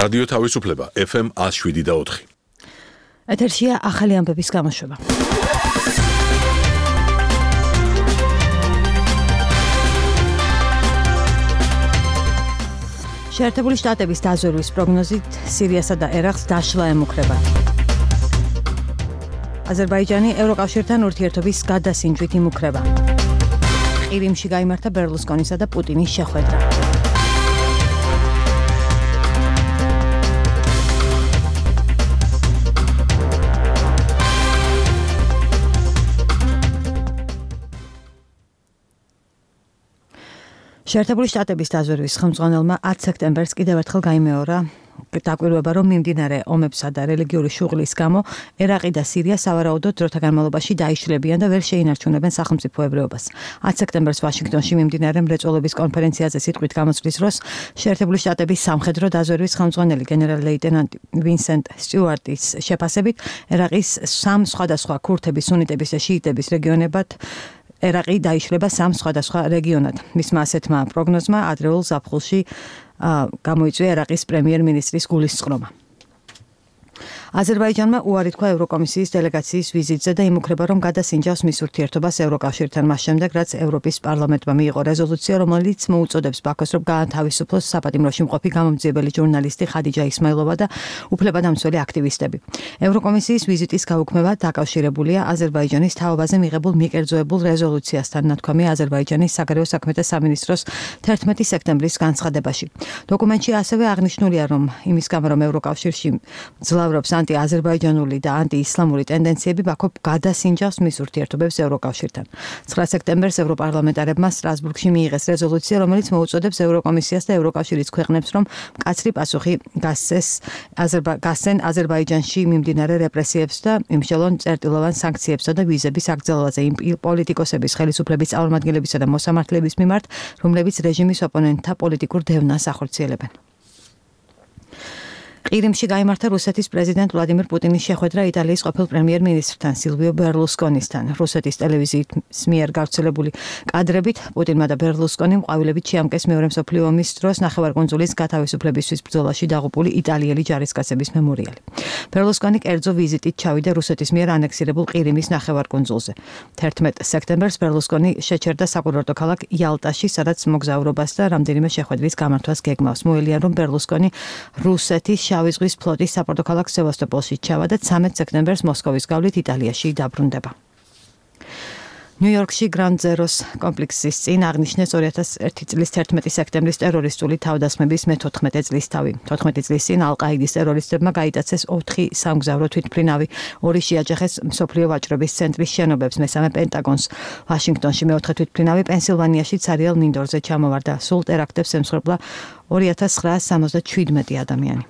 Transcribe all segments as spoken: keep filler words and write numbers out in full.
რადიო თავისუფლება ეფ ემ one oh seven და four. ეთერშია ახალი ამბების გამოშვება. შეერთებული შტატების დაზვერვის პროგნოზით სირიასა და ერაყს დაშლა ემუქრება. აზერბაიჯანი ევროკავშირთან ურთიერთობის გადასინჯვით იმუქრება. ყირიმში გაიმართა ბერლუსკონისა და პუტინის შეხვედრა. შეერთებული შტატების დაზვერვის ხელმძღვანელმა ათი სექტემბერს კიდევ ერთხელ გაიმეორა დაკვირვება, რომ მიმდინარე ომებსა და რელიგიური შუღლის გამო ერაყი და სირია სავარაუდოდ დროთა განმავლობაში დაიშლებიან და ვერ შეინარჩუნებენ სახელმწიფოებრიობას. ათი სექტემბერს ვაშინგტონში მიმდინარე მრეწველობის კონფერენციაზე სიტყვით გამოსვლის დროს შეერთებული შტატების სამხედრო დაზვერვის ხელმძღვანელი გენერალ-ლეიტენანტი ვინსენტ სტიუარტის შეფასებით ერაყის სამ სხვადასხვა ქურთების, სუნიტების და შიიტების რეგიონებად ერაყი დაიშლება სამ სხვადასხვა რეგიონად. მისმა ასეთმა პროგნოზმა ადრეულ ზაფხულში გამოიწვია ერაყის პრემიერ-მინისტრის გულისწყრომა. აზერბაიჯანმა უარი თქვა ევროკომისიის დელეგაციის ვიზიტზე და იმუქრება, რომ გადასინჯავს მის ურთიერთობას ევროკავშირთან მას შემდეგ, რაც ევროპის პარლამენტმა მიიღო რეზოლუცია, რომელიც მოუწოდებს ბაქოს, რომ გაათავისუფლოს საპატიმროში მყოფი გამომძიებელი ჟურნალისტი ხადიჯა ისმაილოვა და უფლებადამცველი აქტივისტები. ევროკომისიის ვიზიტის გაუქმება დაკავშირებულია აზერბაიჯანის თავობაზე მიღებულ მიკერძოებულ რეზოლუციასთან, ნათქვამია აზერბაიჯანის საგარეო საქმეთა სამინისტროს თერთმეტი სექტემბრის განცხადებაში. დოკუმენტში ასევე აღნიშნულია, რომ იმის გამო, რომ ევროკავშირში მძლავრობს ანტი-აზერბაიჯანული და ანტი-ისლამური ტენდენციები, ბაქო გადასინჯავს მის ურთიერთობებს ევროკავშირთან. ცხრა სექტემბერს ევროპარლამენტარებმა სტრასბურგში მიიღეს რეზოლუცია, რომელიც მოუწოდებს ევროკომისიას და ევროკავშირის ქვეყნებს, რომ მკაცრი პასუხი გასცენ აზერბაიჯანში მიმდინარე რეპრესიებს და იმშელონ წერტილოვან სანქციებსა და ვიზების აგრძელვაზე იმ პოლიტიკოსების, ხელისუფლების წარმომადგენლებისა და მოსამართლეების მიმართ, რომლებიც რეჟიმის ოპონენტთა პოლიტიკურ დევნას ახორციელებენ. ყირიმში გაიმართა რუსეთის პრეზიდენტ ვლადიმირ პუტინის შეხვედრა იტალიის ყოფილ პრემიერ-მინისტრთან სილვიო ბერლუსკონისთან. რუსეთის ტელევიზიის მიერ გავრცელებული კადრებით პუტინმა და ბერლუსკონიმ ყვავილებით შეამკეს მეორე მსოფლიო ომის დროს ნახევარკუნძულის გათავისუფლებისთვის ბრძოლაში დაღუპული იტალიელი ჯარისკაცების მემორიალი. ბერლუსკონი კერძო ვიზიტით ჩავიდა რუსეთის მიერ ანექსირებულ ყირიმის ნახევარკუნძულზე. თერთმეტ სექტემბერს ბერლუსკონი შეჩერდა საკურორტო ქალაქ იალტაში, სადაც მოგზაურობას და რამდენიმე შეხვედრის გამართვას გეგმავს. მოელია, რომ ბერლუსკონი რუსეთის შავი ზღვის ფლოტის საპორტო ქალაქ სევასტოპოლში ჩავა და ცამეტ სექტემბერს მოსკოვის გავლით იტალიაში დაბრუნდება. ნიუ-იორკში გრანდ ზეროს კომპლექსის წინ აღნიშნეს ორი ათას ერთი წლის თერთმეტი სექტემბრის ტერორისტული თავდასხმების მეთოთხმეტე წლისთავი. თოთხმეტი წლის წინ ალ-ყაიდის ტერორისტებმა გაიტაცეს ოთხი სამგზავრო თვითმფრინავი, ორი შეაჯახეს მსოფლიო ვაჭრობის ცენტრის შენობებს, მესამე პენტაგონს. ვაშინგტონში მეოთხე თვითმფრინავი პენსილვანიაში ცარიელ მინდორზე ჩამოვარდა. სულ ტერაქტებს ემსხვერპლა ორი ათას ცხრაას სამოცდაშვიდმეტი ადამიანი.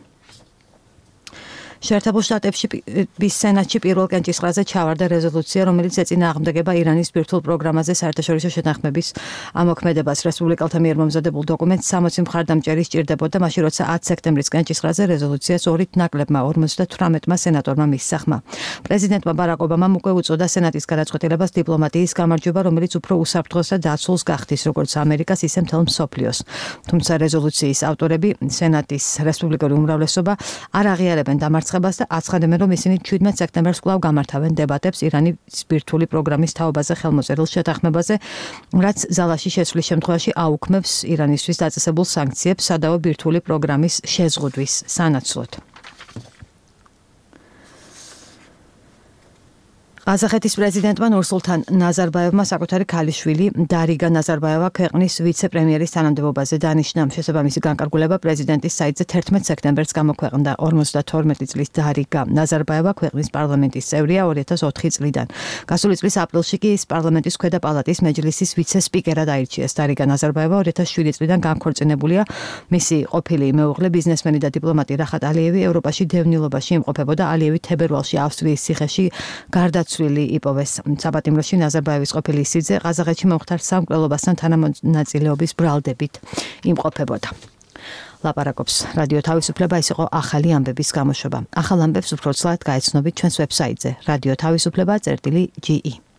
შეერთებულ შტატების სენატში პირველ კენჭისყრაზე ჩავარდა რეზოლუცია, რომელიც ეწინააღმდეგება ირანის ბირთვულ პროგრამაზე საერთაშორისო შეთანხმების ამოქმედებას. რესპუბლიკელთა მიერ მომზადებულ დოკუმენტს სამოცი მხარდამჭერი სჭირდებოდა, მაშინ როცა ათი სექტემბრის კენჭისყრაზე რეზოლუციას ორით ნაკლებმა ორმოცდათვრამეტმა სენატორმა მისცა ხმა. პრეზიდენტმა ბარაკ ობამამ უკვე უწოდა სენატის გადაწყვეტილებას დიპლომატიის გამარჯვება, რომელიც უფრო უსაფრთხოს და დაცულს გახდის, როგორც ამერიკას, ისე მთელ მსოფლიოს. თუმცა რეზოლუციის ავტორები, სენატის რესპუბლიკური უმრავლესობა არ აღიარებენ დამარცხებას და აცხადებენ, რომ ისინი შვიდმეტ სექტემბერს კვლავ გამართავენ დებატებს ირანის ბირთვული პროგრამის თაობაზე ხელმოწერილ შეთანხმებაზე, რაც ზალაში შეცვლის შემთხვევაში აუქმებს ირანისთვის დაწესებულ სანქციებს სადავო ბირთვული პროგრამის შეზღუდვის სანაცვლოდ. ყაზახეთის პრეზიდენტმა ნურსულთან ნაზარბაევმა საკუთარი ქალიშვილი დარიგა ნაზარბაევა ქვეყნის ვიცე-პრემიერის თანამდებობაზე დანიშნა. შესაბამისი განკარგულება პრეზიდენტის საიტზე თერთმეტ სექტემბერს გამოქვეყნდა. ორმოცდათორმეტი წლის დარიგა ნაზარბაევა ქვეყნის პარლამენტის წევრია ორი ათას ოთხი წლიდან. გასული წლის აპრილში კი ის პარლამენტის ქვედა პალატის მეჯლისის ვიცე-სპიკერად აირჩიეს. დარიგა ნაზარბაევა ორი ათას შვიდი წლიდან განქორწინებულია. მისი ყოფილი მეუღლე, ბიზნესმენი და დიპლომატი რახატ ალიევი ევროპაში დევნილობაში იმყოფებოდა. ალიევი თებერვალში ავსტრიის ციხეში გარდაცვლილი იპოვეს. საპატიმროში ნაზარბაევის ყოფილი სიძე ყაზახეთში მომხდარ სამკვლელობასთან თანამონაწილეობის ბრალდებით იმყოფებოდა. ლაპარაკობს რადიო თავისუფლება. ეს იყო ახალი ამბების გამოშვება. ახალ ამბებს უფრო ცლად გაეცნობით ჩვენს ვებსაიტზე radio tavisupleba წერტილი ჯი ი.